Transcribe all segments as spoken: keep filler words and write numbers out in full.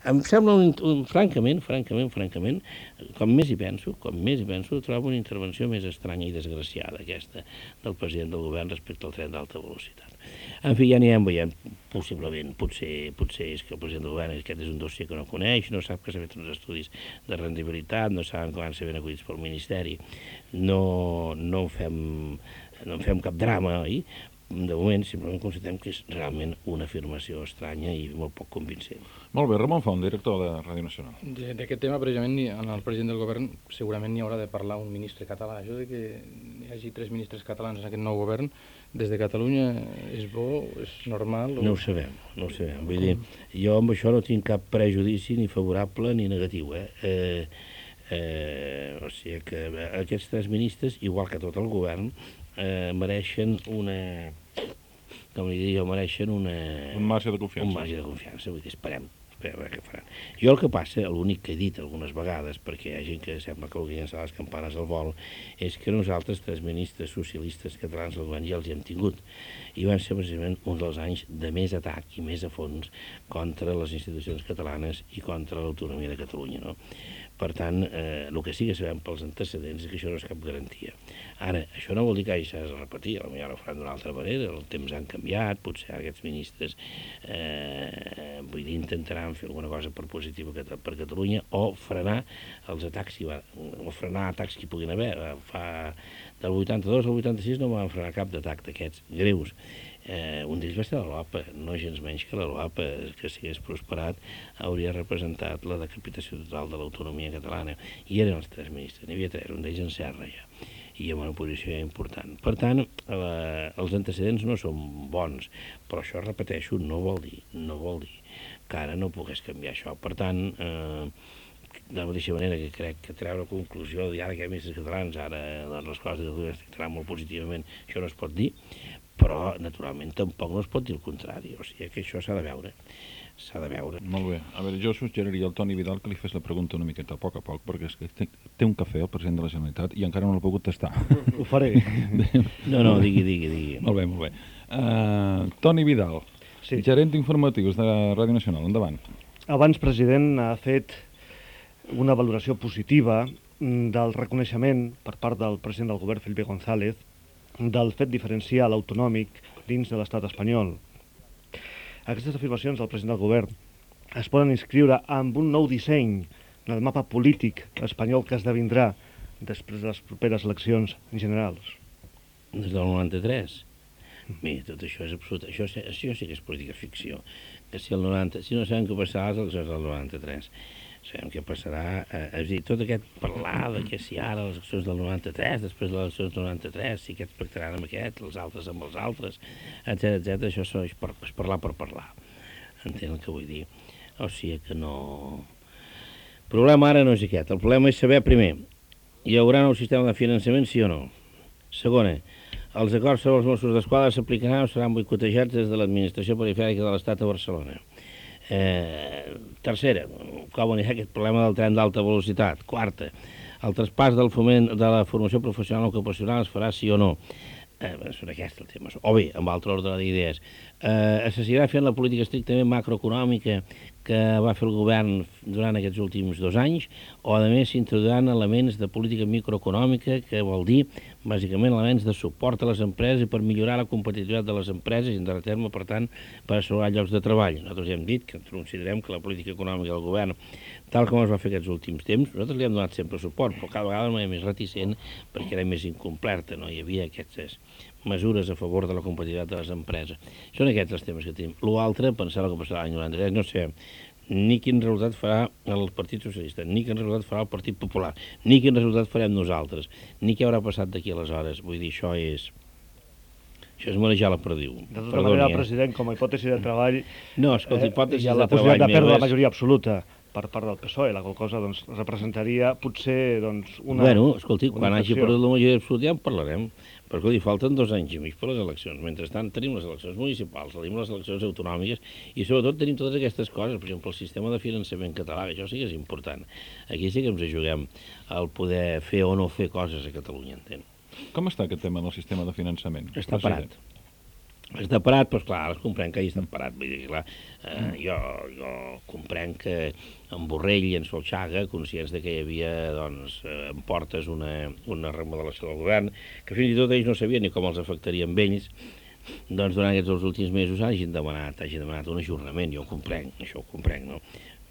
Em sembla, un, un, francament, francament, francament, com més hi penso, com més hi penso, trobo una intervenció més estranya i desgraciada, aquesta del president del govern respecte al tren d'alta velocitat. En fi, ja anirem veient, possiblement, potser, potser és que el president del govern aquest és un dossier que no coneix, no sap que s'ha fet uns estudis de rendibilitat, no saben que van ser ben acollits pel Ministeri, no, no, en fem, no en fem cap drama, oi? De moment, simplement constatem que és realment una afirmació estranya i molt poc convincent. Molt bé, Ramon Font, director de Ràdio Nacional. D'aquest tema, precisament, en el president del govern segurament n'hi haurà de parlar un ministre català. Això de que hi hagi tres ministres catalans en aquest nou govern, des de Catalunya, és bo, és normal? O... No ho sabem, no ho sabem. Vull dir, jo amb això no tinc cap prejudici ni favorable ni negatiu, eh? eh, eh o sigui que aquests tres ministres, igual que tot el govern, eh, mereixen una, com li diria jo, mereixen una... Un marge de confiança. Un marge de confiança, vull dir, esperem, esperem a veure què faran. Jo el que passa, l'únic que he dit algunes vegades, perquè hi ha gent que sembla que vulgui llançar les campanes al vol, és que nosaltres, tres ministres socialistes catalans del govern, ja els hi hem tingut. I van ser precisament un dels anys de més atac i més a fons contra les institucions catalanes i contra l'autonomia de Catalunya, no? Per tant, eh, el que sí que sabem pels antecedents és que això no és cap garantia. Ara, això no vol dir que hagi de repetir, potser ara ho faran d'una altra manera, els temps han canviat, potser aquests ministres eh, vull dir, intentaran fer alguna cosa per positiva per Catalunya o frenar els atacs, o frenar atacs que hi puguin haver. Fa, del vuitanta-dos al vuitanta-sis no van frenar cap d'atac d'aquests greus. Eh, un d'ells va ser la LOAPA, no gens menys que la LOAPA, que si hagués prosperat hauria representat la decapitació total de l'autonomia catalana. I eren els tres ministres, n'hi havia tres, un d'ells en Serra ja, i amb una posició important. Per tant, eh, els antecedents no són bons, però això, repeteixo, no vol dir, no vol dir que ara no pogués canviar això. Per tant, eh, de la mateixa manera que crec que treure conclusió de ara que hi ha ministres catalans, ara doncs, les coses de Catalunya es tractaran molt positivament, això no es pot dir, però, naturalment, tampoc no es pot dir el contrari. O sigui que això s'ha de veure. S'ha de veure. Molt bé. A veure, jo suggeriria al Toni Vidal que li fes la pregunta una miqueta a poc a poc, perquè és que té, té un cafè el president de la Generalitat i encara no l'ha pogut tastar. Ho faré. No, no, digui, digui, digui. Molt bé, molt bé. Uh, Toni Vidal, sí. Gerent d'informatius de Ràdio Nacional. Endavant. Abans, president, ha fet una valoració positiva del reconeixement per part del president del govern, Felipe González, del fet diferencial autonòmic dins de l'estat espanyol. Aquestes afirmacions del president del govern es poden inscriure amb un nou disseny en el mapa polític espanyol que esdevindrà després de les properes eleccions generals. Des del noranta-tres? Mira, tot això és absolut. Això, això sí que és política ficció. Que si, el noranta, si no sabem què passarà a les eleccions del noranta-tres, sabem què passarà, eh, és a dir, tot aquest parlar de que si ara les eleccions del noranta-tres, després de les eleccions del noranta-tres, si aquests pactaran amb aquests, els altres amb els altres, etcètera, etcètera, això és, per, és parlar per parlar. Entenc el que vull dir. O sigui que no... El problema ara no és aquest. El problema és saber, primer, hi haurà nou sistema de finançament, sí o no? Segona, els acords sobre els Mossos d'Esquadra s'aplicaran o seran boicotejats des de l'administració perifèrica de l'Estat a Barcelona. Eh, tercera, com anirà aquest problema del tren d'alta velocitat. Quarta, el traspàs del foment de la formació professional ocupacional es farà sí o no. Eh, són aquests els temes. O bé, amb altre ordre d'idees, eh, es seguirà fent la política estrictament macroeconòmica que va fer el govern durant aquests últims dos anys, o a més s'introduiran elements de política microeconòmica, que vol dir, bàsicament, elements de suport a les empreses i per millorar la competitivitat de les empreses i, en darrer terme, per tant, per assegurar llocs de treball. Nosaltres ja hem dit que considerem que la política econòmica del govern, tal com es va fer aquests últims temps, nosaltres li hem donat sempre suport, però cada vegada de manera més reticent perquè era més incompleta, no hi havia aquestes mesures a favor de la competitivitat de les empreses. Són aquests els temes que tenim. L'altre, pensar el que passarà l'any noranta-tres, no sé ni quin resultat farà el Partit Socialista, ni quin resultat farà el Partit Popular, ni quin resultat farem nosaltres, ni què haurà passat d'aquí aleshores. Vull dir, això és... Això és manejar la perdiu. De tota Perdoni, manera, eh? President, com a hipòtesi de treball... No, escolta, hipòtesi eh, de treball... Hi ha la possibilitat de perdre és... la majoria absoluta per part del P S O E, la qual cosa doncs, representaria potser doncs, una... Bueno, escolti, quan hagi perdut la majoria absoluta ja en parlarem, perquè escolti, falten dos anys i mig per les eleccions. Mentrestant tenim les eleccions municipals, tenim les eleccions autonòmiques i sobretot tenim totes aquestes coses, per exemple, el sistema de finançament català, que això sí que és important. Aquí sí que ens juguem al poder fer o no fer coses a Catalunya, entén? Com està aquest tema del sistema de finançament? Està parat. Està parat, doncs clar, els comprenc que hi estan parat. Vull dir, clar, eh, jo, jo comprenc que en Borrell i en Solchaga, conscients de que hi havia, doncs, eh, en portes una, una remodelació del govern, que fins i tot ells no sabien ni com els afectaria amb ells, doncs durant aquests dos últims mesos hagin demanat, hagin demanat un ajornament, jo ho comprenc, això ho comprenc, no?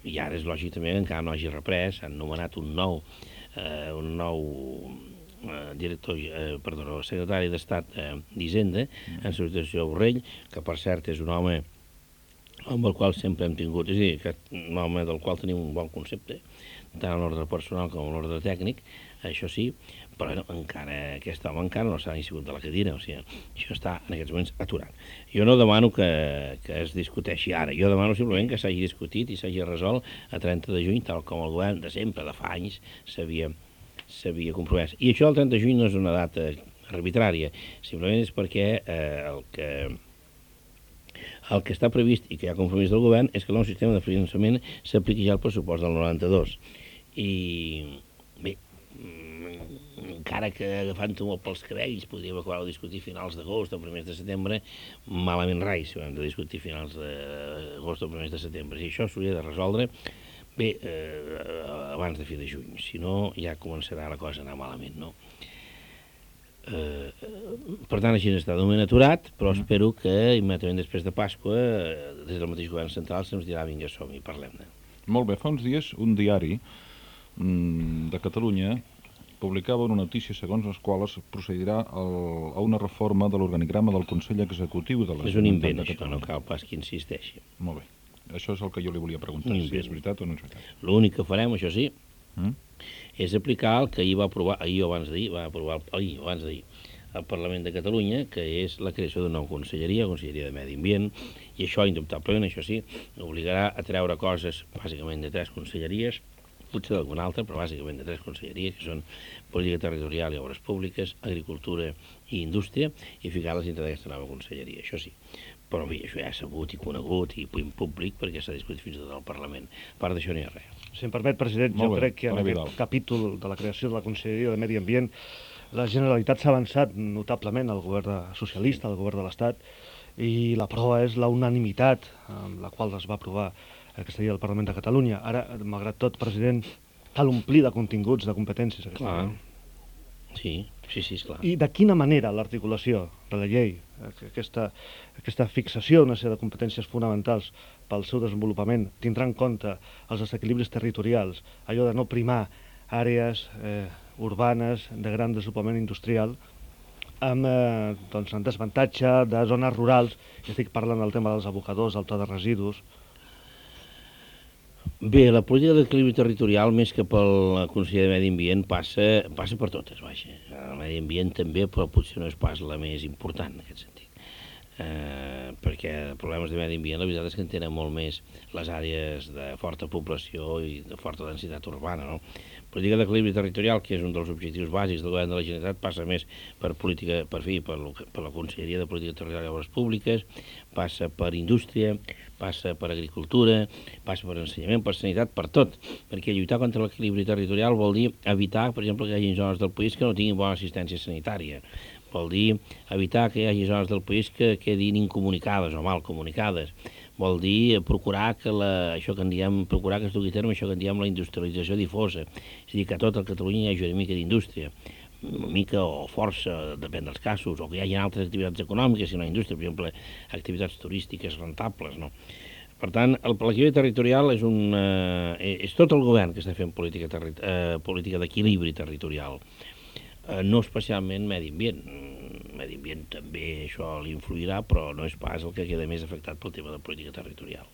I ara és lògic també que encara no hagi reprès, han nomenat un nou, eh, un nou eh, director, eh, perdó, secretari d'Estat eh, d'Hisenda, en substitució de Borrell, que per cert és un home amb el qual sempre hem tingut, és a dir, que un home del qual tenim un bon concepte, tant en l'ordre personal com en l'ordre tècnic, això sí, però no, encara, aquest home encara no s'ha ni sigut de la cadira, o sigui, això està en aquests moments aturat. Jo no demano que, que es discuteixi ara, jo demano simplement que s'hagi discutit i s'hagi resolt a trenta de juny, tal com el govern de sempre, de fa anys, s'havia s'havia compromès. I això del trenta de juny no és una data arbitrària, simplement és perquè eh, el que el que està previst i que hi ha compromís del govern és que el nou sistema de finançament s'apliqui ja al pressupost del noranta-dos. I bé, encara que agafant-ho molt pels cabells podríem acabar de discutir finals d'agost o primers de setembre, malament rai si ho hem de discutir finals d'agost o primers de setembre. I això s'hauria de resoldre bé eh, abans de fi de juny, si no ja començarà la cosa a anar malament, no? Eh, per tant, així està de moment aturat, però mm. espero que immediatament després de Pasqua, des del mateix govern central, se'ns dirà vinga, som-hi, parlem-ne. Molt bé, fa uns dies un diari mm, de Catalunya publicava una notícia segons les quals procedirà el, a una reforma de l'organigrama del Consell Executiu de la És un Generalitat invent, de això, no cal pas que insisteixi. Molt bé, això és el que jo li volia preguntar, si és veritat o no és veritat. L'únic que farem, això sí, Mm? és aplicar el que ahir va aprovar, ahir o abans d'ahir, va aprovar ahir o abans d'ahir el Parlament de Catalunya, que és la creació d'una nova conselleria, Conselleria de Medi Ambient, i això, indubtablement, això sí, obligarà a treure coses, bàsicament de tres conselleries, potser d'alguna altra, però bàsicament de tres conselleries, que són Política Territorial i Obres Públiques, Agricultura i Indústria, i ficar-les dintre d'aquesta nova conselleria, això sí. Però bé, això ja és sabut i conegut i en públic perquè s'ha discutit fins i tot al Parlament. A part d'això no hi ha res. Si em permet, president, Molt jo bé, crec que en Toni aquest Vidal. capítol de la creació de la Conselleria de Medi Ambient la Generalitat s'ha avançat notablement al govern de, socialista, al govern de l'Estat, i la prova és la unanimitat amb la qual es va aprovar aquesta llei del Parlament de Catalunya. Ara, malgrat tot, president, cal omplir de continguts, de competències. Aquesta Clar. llei. Sí, sí, sí, esclar. I de quina manera l'articulació de la llei, aquesta, aquesta fixació d'una sèrie de competències fonamentals pel seu desenvolupament, tindrà en compte els desequilibris territorials, allò de no primar àrees eh, urbanes de gran desenvolupament industrial, amb, eh, doncs, en desavantatge de zones rurals, i estic parlant del tema dels abocadors, del pla de residus. Bé, la política d'equilibri territorial, més que pel Consell de Medi Ambient, passa, passa per totes, vaja. El medi ambient també, però potser no és pas la més important en aquest sentit. Eh, perquè problemes de medi ambient, la veritat és que en tenen molt més les àrees de forta població i de forta densitat urbana, no? Política d'equilibri territorial, que és un dels objectius bàsics del govern de la Generalitat, passa més per política, per fi, per, lo, per la Conselleria de Política Territorial i Obres Públiques, passa per indústria, passa per agricultura, passa per ensenyament, per sanitat, per tot, perquè lluitar contra l'equilibri territorial vol dir evitar, per exemple, que hi hagi zones del país que no tinguin bona assistència sanitària, vol dir evitar que hi hagi zones del país que quedin incomunicades o mal comunicades, vol dir procurar que la, això que en diem, procurar que es dugui a terme això que en diem la industrialització difosa, és a dir, que a tot el Catalunya hi hagi una mica d'indústria, una mica o força, depèn dels casos, o que hi hagi altres activitats econòmiques i no indústria, per exemple, activitats turístiques rentables, no? Per tant, el l'equilibri territorial és, un, eh, és tot el govern que està fent política, terri eh, política d'equilibri territorial, eh, no especialment medi ambient. Medi ambient també això li influirà, però no és pas el que queda més afectat pel tema de política territorial.